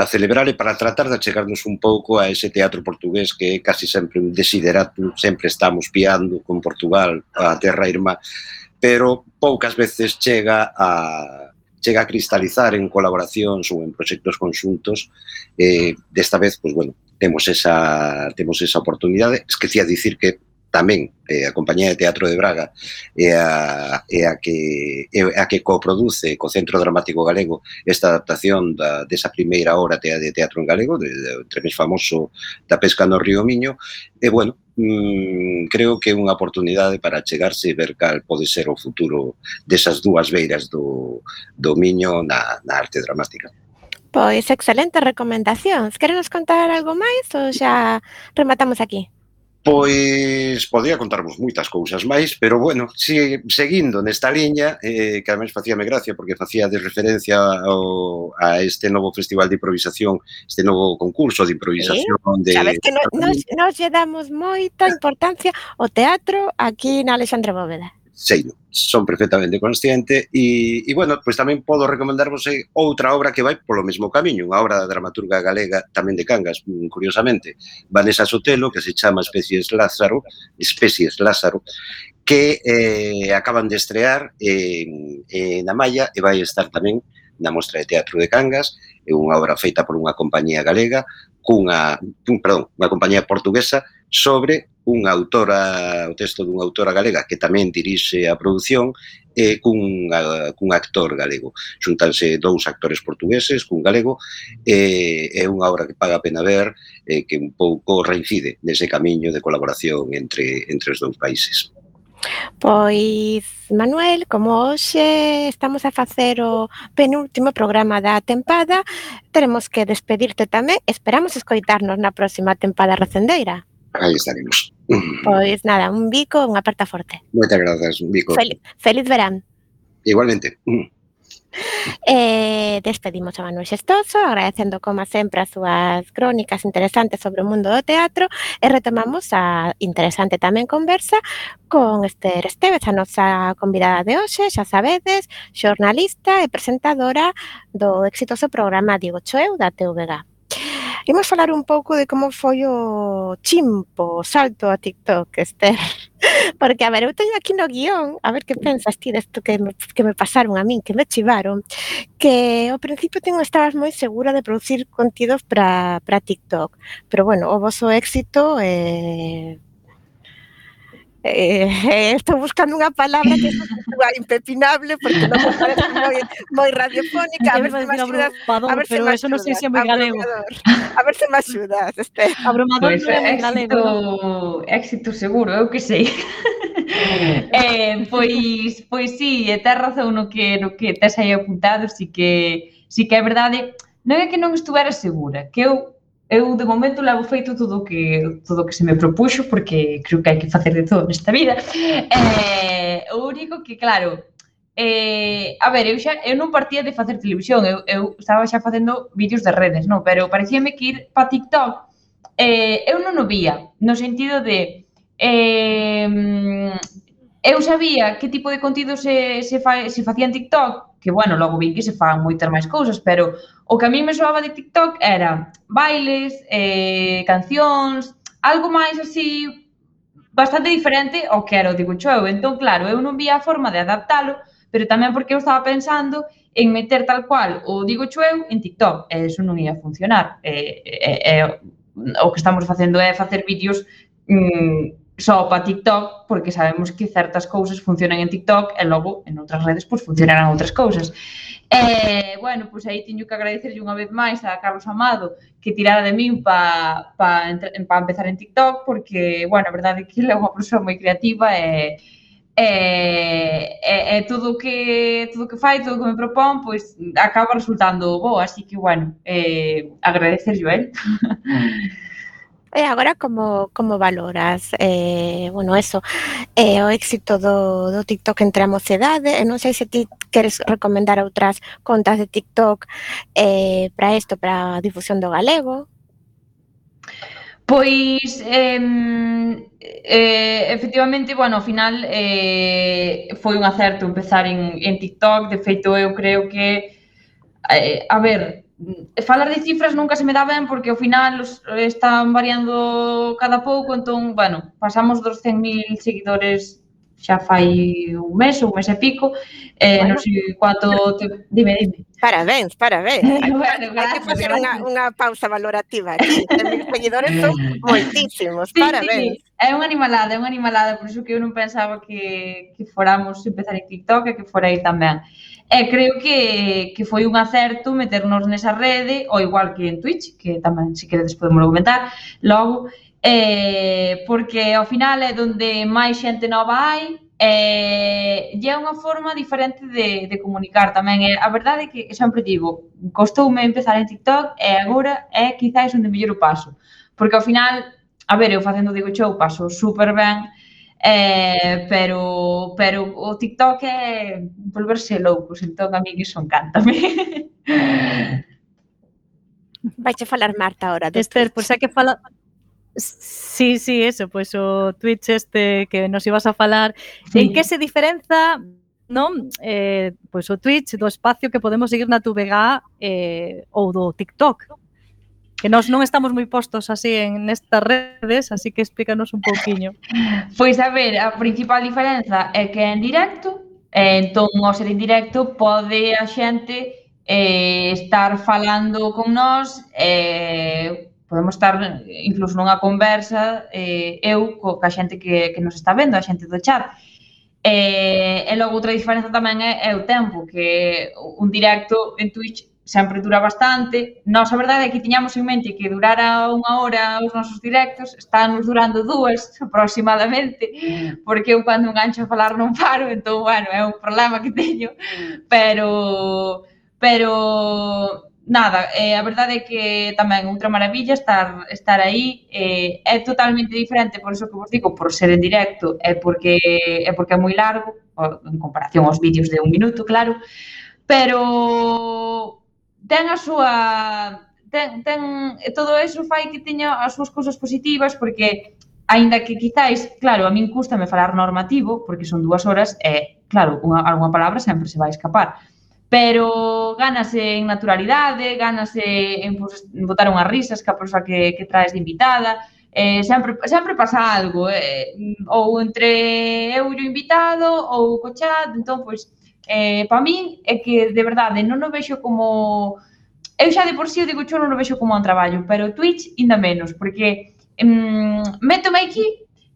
celebrar e para tratar de achegarnos un pouco a ese teatro portugués que é casi sempre un desideratum, sempre estamos piando con Portugal, a terra irmá, pero poucas veces chega a cristalizar en colaboracións ou en proxectos conxuntos. Desta vez, pois, bueno, temos esa oportunidade. Esquecía dicir que tamén a Compañía de Teatro de Braga é a que coproduce co Centro Dramático Galego esta adaptación desa primeira obra de teatro en galego, entre máis famoso da Pesca no Río Miño, e, bueno, creo que é unha oportunidade para chegarse e ver cal pode ser o futuro desas dúas beiras do Miño na arte dramática. Pois excelentes recomendacións. Querenos contar algo máis ou xa rematamos aquí? Pois podía contarvos moitas cousas máis, pero, bueno, seguindo nesta liña, que ademais facíame gracia porque facía de referencia a este novo festival de improvisación, este novo concurso de improvisación. Sabes que nos lle damos moita importancia ao teatro aquí na Alexandre Bóveda. Sei, son perfectamente consciente e, bueno, pois tamén podo recomendarvos outra obra que vai polo mesmo camiño, unha obra da dramaturga galega tamén de Cangas, curiosamente, Vanessa Sotelo, que se chama Especies Lázaro, que acaban de estrear na Malla e vai estar tamén na Mostra de Teatro de Cangas. É unha obra feita por unha compañía galega, unha compañía portuguesa, sobre unha autora, o texto dunha autora galega que tamén dirixe a produción, e cun actor galego. Xuntanse dous actores portugueses cun galego, é unha obra que paga a pena ver, que un pouco reincide nese camiño de colaboración entre os dous países. Pois, Manuel, como hoxe estamos a facer o penúltimo programa da tempada, teremos que despedirte tamén. Esperamos escoitarnos na próxima tempada recendeira. Aí estaremos. Pois nada, un bico, unha aperta forte. Moitas grazas, un bico. Feliz verán. Igualmente. Despedimos a Manuel Xestoso, agradecendo como sempre as súas crónicas interesantes sobre o mundo do teatro, e retomamos a interesante tamén conversa con Esther Estévez, a nosa convidada de hoxe, xa sabedes, xornalista e presentadora do exitoso programa Digo Choeu da TVG. Imos falar un pouco de como foi o chimpo, o salto a TikTok, Esther. Porque, a ver, eu teño aquí no guión, a ver que pensas ti desto que me pasaron a min, que me chivaron, que ao principio estabas moi segura de producir contidos para TikTok, pero, bueno, o voso éxito estou buscando unha palabra que é impepinable porque non me parece moi radiofónica. A ver se me axudas. Pero eso non sei se é moi galego. A ver se me axudas, Esther. Abrumador non é moi galego. Éxito seguro, eu que sei. Pois sí, tes razón no que tes aí apuntado, sí que é verdade. Non é que non estuvera segura, que eu de momento levo feito todo o que se me propuxo, porque creo que hai que facer de todo nesta vida. O único que, claro, a ver, eu non partía de facer televisión, eu estaba xa facendo vídeos de redes, non? Pero parecíame que ir para TikTok, eu non o vía, no sentido de eu sabía que tipo de contido se facía en TikTok, que, bueno, logo vi que se fan moitas máis cousas, pero o que a mí me soaba de TikTok era bailes, cancións, algo máis así, bastante diferente ao que era o Digo Choeu. Entón, claro, eu non vía a forma de adaptalo, pero tamén porque eu estaba pensando en meter tal cual o Digo Choeu en TikTok, e eso non ia funcionar. O que estamos facendo é facer vídeos só para TikTok, porque sabemos que certas cousas funcionan en TikTok e logo en outras redes pois funcionarán outras cousas. Bueno, pois aí teño que agradecerlle unha vez máis a Carlos Amado que tirara de min para empezar en TikTok, porque, bueno, a verdade é que ele é unha persoa moi creativa e todo o que fai, todo o que me propón, pois acaba resultando bo, así que, bueno, agradecerlle a él. E agora como valoras, bueno, eso, o éxito do TikTok entre a mocedade? Non sei se ti queres recomendar outras contas de TikTok para isto, para a difusión do galego? Pois, efectivamente, bueno, ao final foi un acerto empezar en TikTok. De feito, eu creo que, a ver, falar de cifras nunca se me dá ben porque ao final están variando cada pouco, entón, bueno, pasamos dos 100.000 seguidores xa fai un mes ou un mes e pico, non sei quanto... Dime. Parabéns. Bueno, Hai que gracias, facer gracias. unha pausa valorativa aquí. 100.000 seguidores son moitísimos, Sí, parabéns. é unha animalada, por iso que eu non pensaba que fóramos empezar en TikTok e que fora aí tamén. E creo que foi un acerto meternos nesa rede, ou igual que en Twitch, que tamén, se queredes, podemos comentar logo, porque ao final é onde máis xente nova hai, e é unha forma diferente de comunicar tamén. A verdade é que sempre digo, costoume empezar en TikTok e agora é quizáis onde mellor o paso, porque ao final, a ver, eu facendo Digo Show paso super ben, pero o TikTok é volverse loucos, entón a mí iso encántame. Vaiche falar Marta ahora do Esther, Twitch. pois hai que falar... Sí, eso, pois o Twitch que nos ibas a falar. Sí. En que se diferenza, non? Pois o Twitch do espacio que podemos seguir na TVG ou do TikTok? Que nós non estamos moi postos así en nestas redes, así que explícanos un pouquiño. Pois a ver, a principal diferenza é que é en directo, entón ao ser en directo pode a xente estar falando con nós, podemos estar incluso nunha conversa, eu ca xente que nos está vendo, a xente do chat. E logo outra diferenza tamén é o tempo, que un directo en Twitch sempre dura bastante. Nós, a verdade é que tiñamos en mente que durara 1 hora os nosos directos, estános durando 2 aproximadamente, porque eu cando engancho a falar non paro, entón, bueno, é un problema que teño, pero nada, a verdade é que tamén outra maravilla estar aí, é totalmente diferente, por iso que vos digo, por ser en directo, é porque é moi largo, en comparación aos vídeos de 1 minuto, claro, pero ten a súa... todo eso fai que teña as súas cousas positivas, porque aínda que quizáis, claro, a min cústame falar normativo, porque son 2 horas, e, claro, algunha palabra sempre se vai escapar, pero gánase en naturalidade, gánase en botar unhas risas que a persoa que traes de invitada, sempre pasa algo, ou entre eu e o invitado, ou co chat, entón, pois, para min é que, de verdade, non o vexo como... Eu xa de por si o Digo Show non o vexo como un traballo, pero Twitch ainda menos, porque métome aquí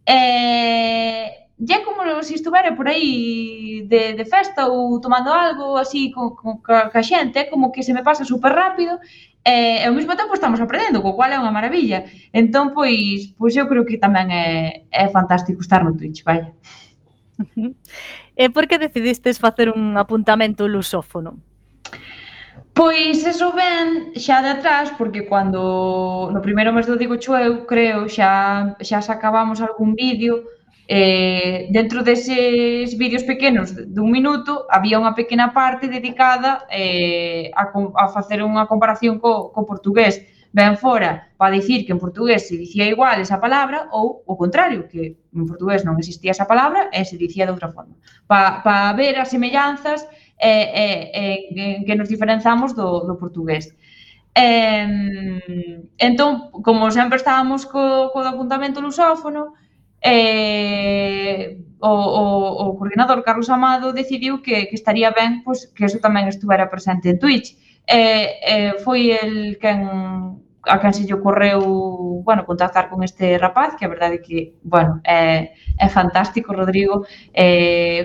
e é como se estuvera por aí de festa ou tomando algo así ca xente, é como que se me pasa super rápido e ao mesmo tempo estamos aprendendo, co cual é unha maravilla. Entón, pois eu creo que tamén é fantástico estar no Twitch, vaya. E por que decidistes facer un apuntamento lusófono? Pois eso ven xa de atrás, porque cando no primeiro mes do Digo Show, eu creo, xa sacábamos algún vídeo, dentro deses vídeos pequenos de 1 minuto, había unha pequena parte dedicada a facer unha comparación co portugués. Ben fora para dicir que en portugués se dicía igual esa palabra ou o contrario, que en portugués non existía esa palabra e se dicía de outra forma. Para ver as semellanzas en que nos diferenzamos do portugués. Entón, como sempre estábamos co apuntamento lusófono, o coordinador Carlos Amado decidiu que estaría ben pois, que eso tamén estuvera presente en Twitch. Foi el a quen se lle ocorreu, bueno, contactar con este rapaz, que a verdade é que, bueno, é fantástico, Rodrigo,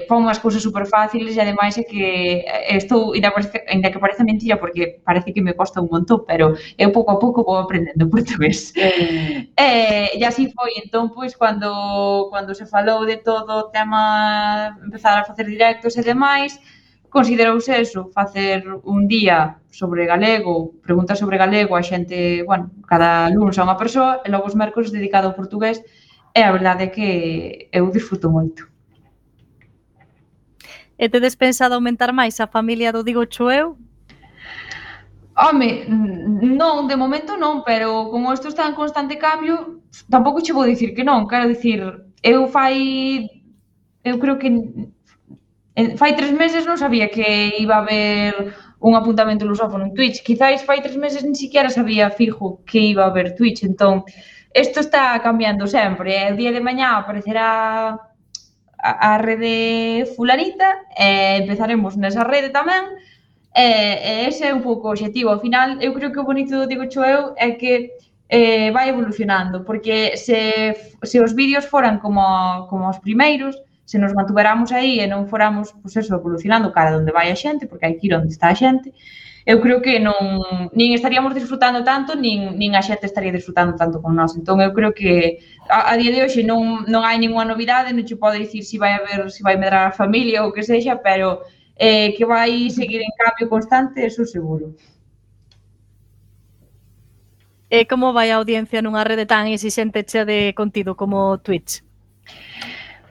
pon as cousas super fáciles e ademais é que estou, ainda que parece mentira, porque parece que me costa un montón, pero eu pouco a pouco vou aprendendo portugués. E así foi, entón, pois, cando se falou de todo o tema, empezar a facer directos e demais, considerouse eso, facer un día sobre galego, preguntas sobre galego a xente, bueno, cada lunes a unha persoa, e logo os mércores dedicado ao portugués, e a verdade é que eu disfruto moito. E tedes pensado aumentar máis a familia do Digocho eu? Home, non, de momento non, pero como isto está en constante cambio, tampouco che vou dicir que non, quero dicir, eu creo que fai 3 meses non sabía que iba a haber un apuntamento lusófono en Twitch, quizáis fai 3 meses ni siquiera sabía fijo que iba a haber Twitch, entón, isto está cambiando sempre, o día de mañá aparecerá a rede fulanita, e empezaremos nesa rede tamén, e ese é un pouco o obxectivo. Ao final, eu creo que o bonito do Digocho eu é que vai evolucionando, porque se os vídeos foran como os primeiros, se nos mantuveramos aí e non foramos, pois eso, evolucionando cara onde vai a xente, porque hai que ir onde está a xente, eu creo que nin estaríamos disfrutando tanto, nin a xente estaría disfrutando tanto con nós. Entón, eu creo que a día de hoxe non hai ninguna novidade, non che podo dicir se vai medrar a familia ou que sexa, pero que vai seguir en cambio constante, eso seguro. E como vai a audiencia nunha rede tan exixente chea de contido como Twitch?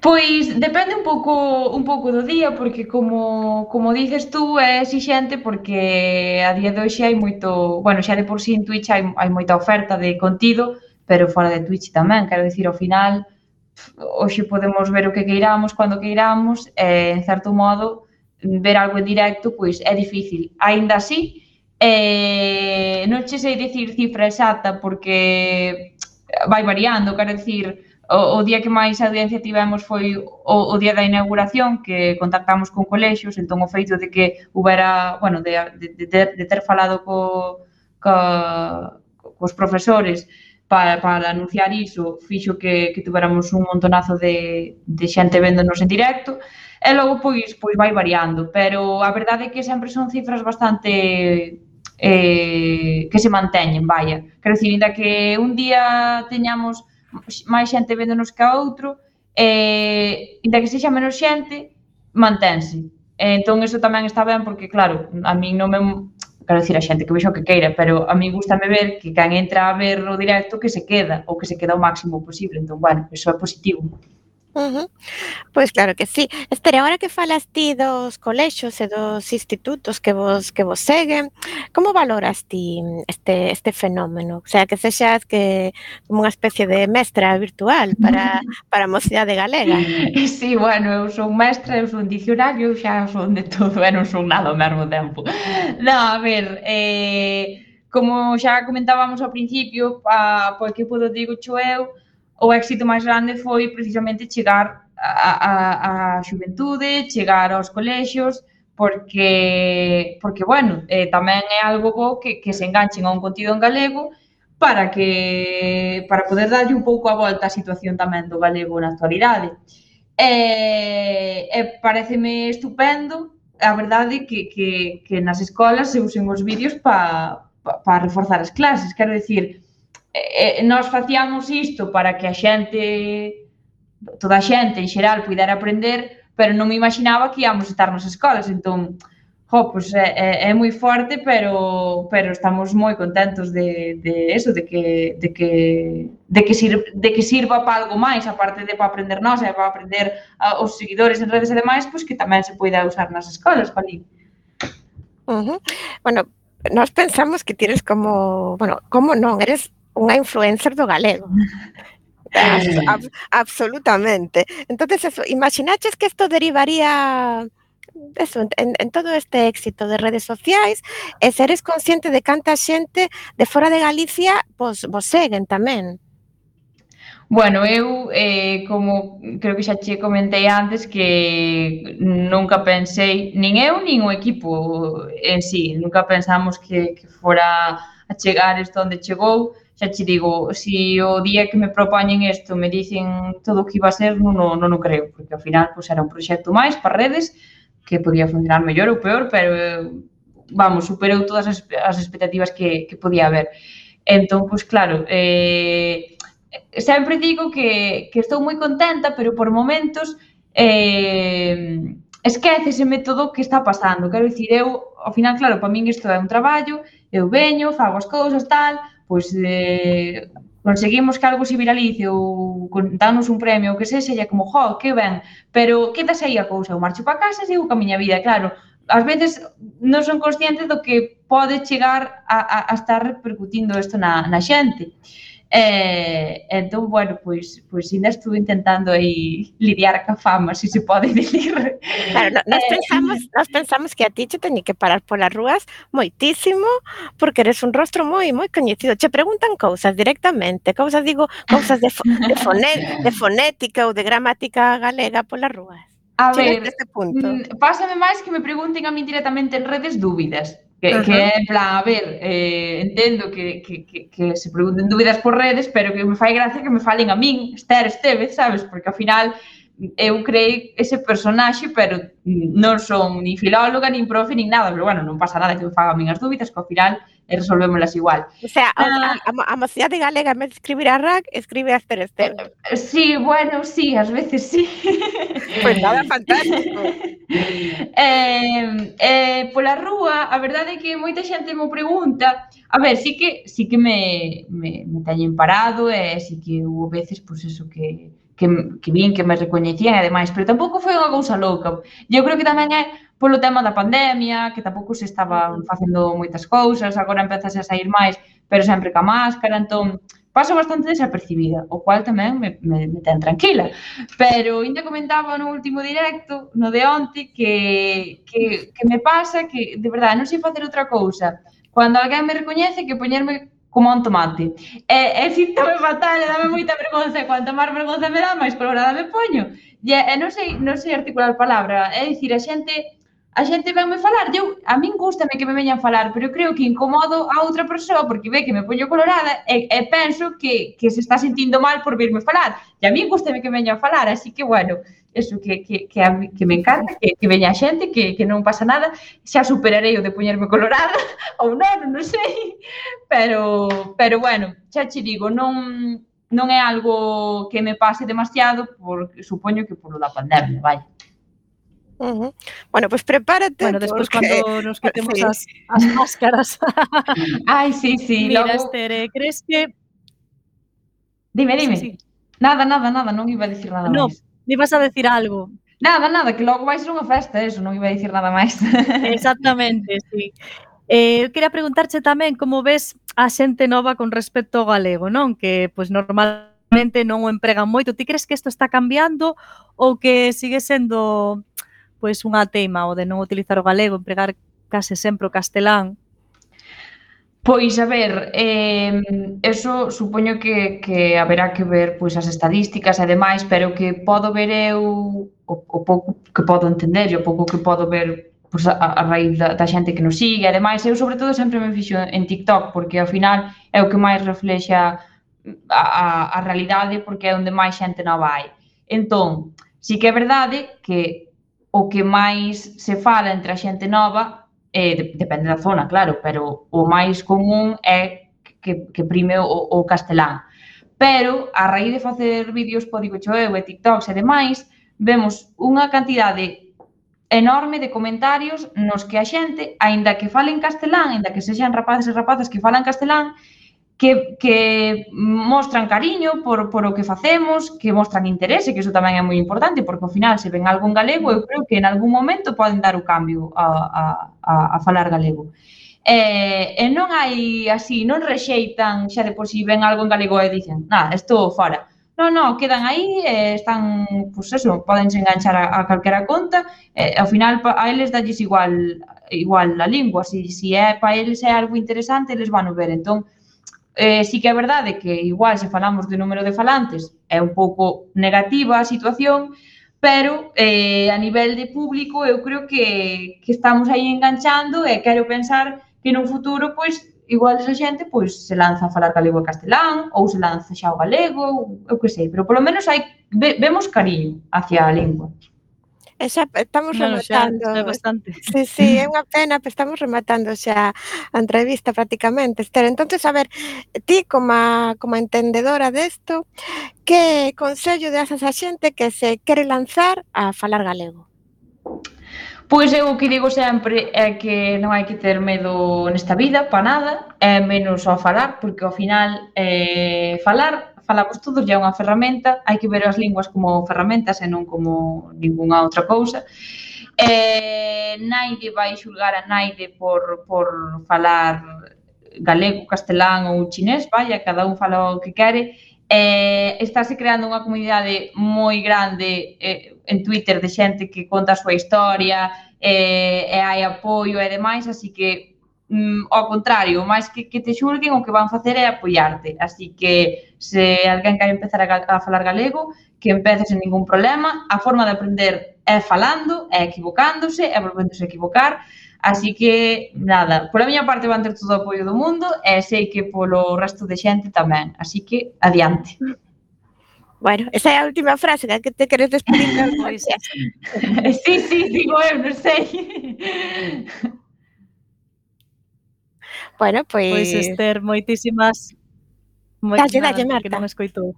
Pois depende un pouco do día, porque como dices tú, é exixente porque a día de hoxe hai moito, bueno, xa de por sí en Twitch hai moita oferta de contido, pero fora de Twitch tamén, quero dicir, ao final, hoxe podemos ver o que queiramos, cando queiramos, e, en certo modo, ver algo en directo, pois é difícil. Aínda así, non che sei dicir cifra exacta, porque vai variando, quero dicir, o día que máis audiencia tivemos foi o día da inauguración, que contactamos con colexios, entón o feito de que houbera, bueno, de ter falado cos profesores para anunciar iso, fixo que tuveramos un montonazo de xente véndonos en directo, e logo pois vai variando, pero a verdade é que sempre son cifras bastante que se manteñen, vaya. Quero dicir, ainda que un día teñamos máis xente véndonos que a outro, ainda que sexa menos xente, mantense. Entón, iso tamén está ben, porque, claro, a min non me... Quero dicir, a xente que vexo que queira, pero a mí gustame ver que quen entra a ver o directo que se queda, ou que se queda o máximo posible. Entón, bueno, iso é positivo. Pois claro que sí. Espera, agora que falas ti dos colexios e dos institutos que vos seguen, como valoras ti este fenómeno? O sea, que sexas que como unha especie de mestra virtual para a mocidade galega. Sí, bueno, eu son mestra, eu son dicionario, xa son de todo, e non son nada ao mesmo tempo. Non, a ver, como xa comentábamos ao principio, po equipo do Digocho eu, o éxito máis grande foi precisamente chegar á xuventude, chegar aos colexios, porque bueno, tamén é algo bo que se enganchen a un contido en galego para poder darlle un pouco a volta á situación tamén do galego na actualidade. E pareceme estupendo, a verdade, que nas escolas se usen os vídeos para reforzar as clases, quero dicir, nós facíamos isto para que a xente, toda a xente en xeral, pudera aprender, pero non me imaginaba que íamos estar nas escolas, entón, pois é moi forte, pero estamos moi contentos de eso, de que sirva para algo máis, aparte de para aprender nós, e para aprender os seguidores en redes e demais, pois que tamén se poida usar nas escolas, Palín. Bueno, nós pensamos que tires como non, eres unha influencer do galego. Absolutamente. Entonces, eso, imaginaches que isto derivaría eso, en todo este éxito de redes sociais, e seres consciente de canta xente de fora de Galicia vos seguen tamén. Bueno, eu, como creo que xa che comentei antes, que nunca pensei, nin eu, nin o equipo en sí, nunca pensamos que fora a chegar isto onde chegou. Xa che digo, se o día que me propoñen isto me dicen todo o que iba a ser, non o creo, porque ao final pois, era un proxecto máis para redes, que podía funcionar mellor ou peor, pero, vamos, superou todas as expectativas que podía haber. Entón, pois claro, sempre digo que estou moi contenta, pero por momentos esquéceseme todo o que está pasando. Quero dicir, eu, ao final, claro, para min isto é un traballo, eu veño, fago as cousas, tal, pois conseguimos que algo se viralice ou danos un premio ou que sexa, e é como, jo, que ben, pero quedase aí a cousa, eu marcho para casa e sigo ca miña vida, claro, ás veces non son conscientes do que pode chegar a estar repercutindo isto na xente. Entón, bueno, pois ainda estuve intentando aí lidiar ca fama, se pode dicir. Claro, nós pensamos que a ti che teñi que parar polas rúas moitísimo, porque eres un rostro moi coñecido. Che preguntan cousas directamente, cousas de fonética ou de gramática galega polas rúas. A Chegas ver, neste punto. pásame máis que me pregunten a min directamente en redes dúbidas, que é en plan, a ver, entendo que se pregunten dúbidas por redes, pero que me fai gracia que me falen a min, Estevez, sabes? Porque ao final eu creei ese personaxe, pero non son ni filóloga, nin profe, nin nada, pero bueno, non pasa nada que me fagan a min as dúbidas, que ao final resolvémolas igual. O sea, a mocidade galega, en vez de escribir a RAC, escribe a Estevez. Sí, bueno, sí, ás veces sí. Pois nada, fantástico. Pola rúa, a verdade é que moita xente me pregunta, a ver, sí que me teñen parado, e sí que hubo veces, pois eso, que vin que me recoñecían e demais, pero tampouco foi unha cousa louca. Eu creo que tamén é polo tema da pandemia, que tampouco se estaban facendo moitas cousas, agora empezase a sair máis, pero sempre ca máscara, entón paso bastante desapercibida, o cual tamén me ten tranquila. Pero ainda comentaba no último directo, no de onte, que me pasa que, de verdade, non sei facer outra cousa. Cando alguén me recoñece, que poñerme como un tomate. E síntome fatal, dame moita vergonza, e cuanto máis vergonza me dá, máis colorada me poño. E non sei articular palabra, é dicir, a xente venme falar, a min gústame que me veñan falar, pero eu creo que incomodo a outra persoa porque ve que me poño colorada e penso que se está sentindo mal por virme falar. E a min gústame que me veñan falar, así que, bueno, eso que me encanta, que veña a xente, que non pasa nada, xa superarei o de poñerme colorada, ou non sei, pero bueno, xa che digo, non é algo que me pase demasiado, porque supoño que polo da pandemia, vai. Bueno, pois prepárate. Bueno, despois cando nos quitemos as máscaras. Ai, sí. Mira, logo... Estere, crees que... Dime. Sí. Nada, non iba a dicir nada máis. Non, ibas a decir algo. Nada, que logo vai ser unha festa, eso, non iba a dicir nada máis. Exactamente, sí. Eu quería preguntarche tamén como ves a xente nova con respecto ao galego, non? Que, pois, normalmente non o empregan moito. Ti crees que isto está cambiando ou que sigue sendo, pois, unha teima o de non utilizar o galego, empregar case sempre o castelán? Pois, a ver, eso supoño que haberá que ver pois as estadísticas e demais, pero que podo ver eu, o pouco que podo entender e o pouco que podo ver pois, a raíz da xente que nos sigue e demais, eu sobre todo sempre me fixo en TikTok, porque ao final é o que máis reflexa a realidade, porque é onde máis xente nova hai. Entón, sí que é verdade que o que máis se fala entre a xente nova depende da zona, claro, pero o máis común é que prime o castelán. Pero, a raíz de facer vídeos po Digocho eu e TikToks e demais, vemos unha cantidade enorme de comentarios nos que a xente, aínda que falen castelán, aínda que sexan rapaces e rapazas que falan castelán, que mostran cariño por o que facemos, que mostran interese, que iso tamén é moi importante, porque ao final se ven algo en galego, eu creo que en algún momento poden dar o cambio a falar galego. E non hai así, non rexeitan xa de por si ven algo en galego e dicen, isto fora. Non, quedan aí, están, pois eso, podense enganchar a calquera conta, ao final a eles dalles igual a lingua, se é para eles é algo interesante, eles van a ver, entón, sí que é verdade que igual se falamos de número de falantes é un pouco negativa a situación, pero a nivel de público eu creo que estamos aí enganchando e quero pensar que nun futuro, pois, igual esa xente pois se lanza a falar galego e castelán ou se lanza xa o galego, eu que sei, pero polo menos vemos cariño hacia a lingua. Xa estamos rematando. Xa é bastante. Sí, é unha pena, pero estamos rematando xa a entrevista prácticamente, Esther. Entonces, a ver, ti como entendedora desto, que consello das a xente que se quere lanzar a falar galego? Pois eu o que digo sempre é que non hai que ter medo nesta vida, para nada, e menos ao falar, porque ao final falamos todos, é unha ferramenta, hai que ver as linguas como ferramentas e non como ningunha outra cousa. Naide vai xulgar a naide por falar galego, castelán ou chinés, vaya, cada un fala o que quere. Estáse creando unha comunidade moi grande en Twitter de xente que conta a súa historia e hai apoio e demais, así que ao contrario, máis que te xulguen, o que van facer é apoiarte, así que se alguén quere empezar a falar galego, que empece sen ningún problema. A forma de aprender é falando, é equivocándose, é volvéndose a equivocar. Así que, nada, pola miña parte van ter todo o apoio do mundo e sei que polo resto de xente tamén. Así que, adiante. Bueno, esa é a última frase, que te queres despedir da audiencia. Sí, digo eu, non sei. Bueno, Pois Esther, moitísimas... Dalle, Marta. Que non escoitou.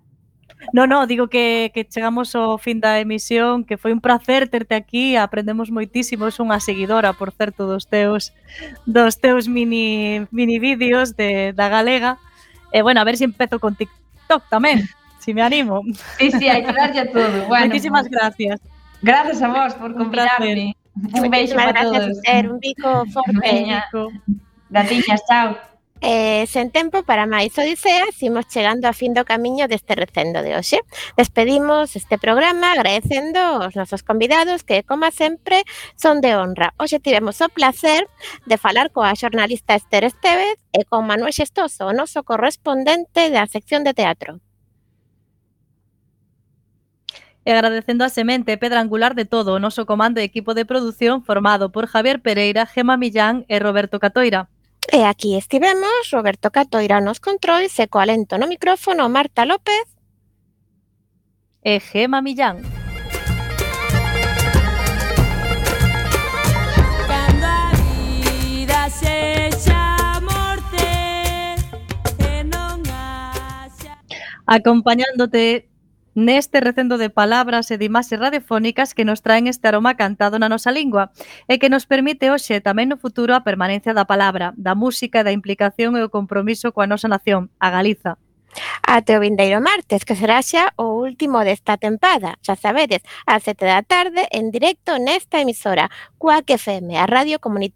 No, digo que chegamos ao fin da emisión, que foi un placer terte aquí, aprendemos moitísimo, es unha seguidora, por certo, dos teus mini vídeos da galega. E bueno, a ver se empezo con TikTok tamén, si me animo. Sí, hai que darlle a todo. Bueno, moitísimas gracias. Gracias a vos por convidarme. Un beijo para todos. Gracias, un bico forte. Gatiñas, chao. Sen tempo para máis odiseas, imos chegando a fin do camiño deste recendo de hoxe. Despedimos este programa agradecendo aos nosos convidados que, como sempre, son de honra. Hoxe tivemos o placer de falar coa xornalista Esther Estévez e con Manuel Xestoso, o noso correspondente da sección de teatro. E agradecendo a semente e pedra angular de todo o noso comando e equipo de produción formado por Javier Pereira, Gema Millán e Roberto Catoira. E aquí estivemos, Roberto Catoira nos controis e co alento no micrófono Marta López e Gema Millán. Cando a vida sexa morte e non haxa... Acompañándote neste recendo de palabras e de imaxes radiofónicas que nos traen este aroma cantado na nosa lingua e que nos permite hoxe tamén no futuro a permanencia da palabra, da música e da implicación e o compromiso coa nosa nación, a Galiza. Até o vindeiro martes, que será xa o último desta tempada. Xa sabedes, ás 7 da tarde, en directo nesta emisora, Cuac FM, a Radio Comunitaria